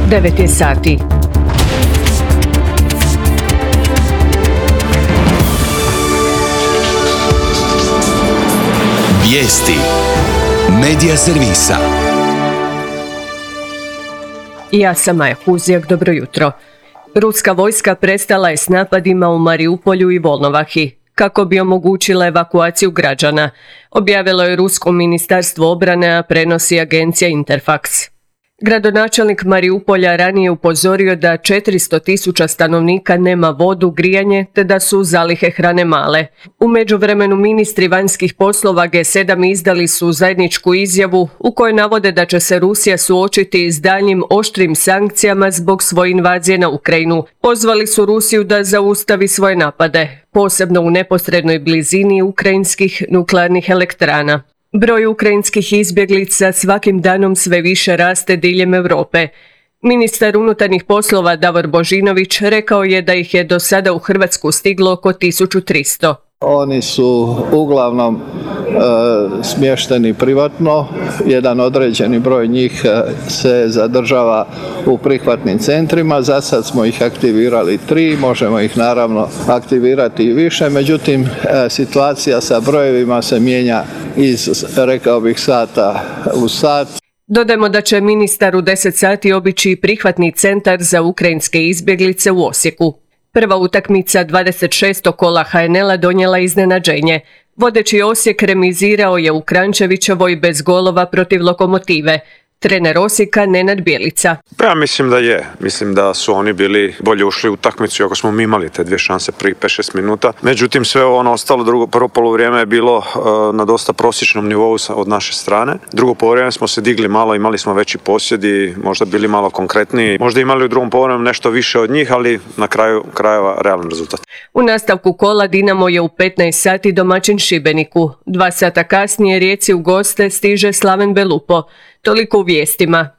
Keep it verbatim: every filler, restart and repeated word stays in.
devet je sati. Vijesti Medija servisa. Ja sam Maja Huzijak, dobro jutro. Ruska vojska prestala je s napadima u Mariupolju i Volnovahi kako bi omogućila evakuaciju građana, objavilo je Rusko ministarstvo obrane, a prenosi agencija Interfax. Gradonačelnik Mariupolja ranije upozorio da četiristo tisuća stanovnika nema vodu, grijanje te da su zalihe hrane male. U međuvremenu ministri vanjskih poslova G sedam izdali su zajedničku izjavu u kojoj navode da će se Rusija suočiti s daljnjim oštrim sankcijama zbog svoje invazije na Ukrajinu. Pozvali su Rusiju da zaustavi svoje napade, posebno u neposrednoj blizini ukrajinskih nuklearnih elektrana. Broj ukrajinskih izbjeglica svakim danom sve više raste diljem Europe. Ministar unutarnjih poslova Davor Božinović rekao je da ih je do sada u Hrvatsku stiglo oko tisuću tristo. Oni su uglavnom e, smješteni privatno, jedan određeni broj njih se zadržava u prihvatnim centrima, za sad smo ih aktivirali tri, možemo ih naravno aktivirati i više, međutim e, situacija sa brojevima se mijenja iz, rekao bih, sata u sat. Dodajmo da će ministar u deset sati obići prihvatni centar za ukrajinske izbjeglice u Osijeku. Prva utakmica dvadeset šestog kola H N L-a donijela iznenađenje. Vodeći Osijek remizirao je u Kranjčevićevoj bez golova protiv Lokomotive. Trener Osijeka Nenad Bjelica. Ja mislim da je. Mislim da su oni bili bolje ušli u utakmicu, iako smo mi imali te dvije šanse prvih pet šest minuta. Međutim, sve ono ostalo, drugo, prvo poluvrijeme je bilo uh, na dosta prosječnom nivou od naše strane. Drugo poluvrijeme smo se digli malo, imali smo veći posjed i možda bili malo konkretniji. Možda imali u drugom poluvremenu nešto više od njih, ali na kraju krajeva realan rezultat. U nastavku kola Dinamo je u petnaest sati domaćin Šibeniku. Dva sata kasnije Rijeci u goste stiže Slaven Belupo. Toliko u vijestima.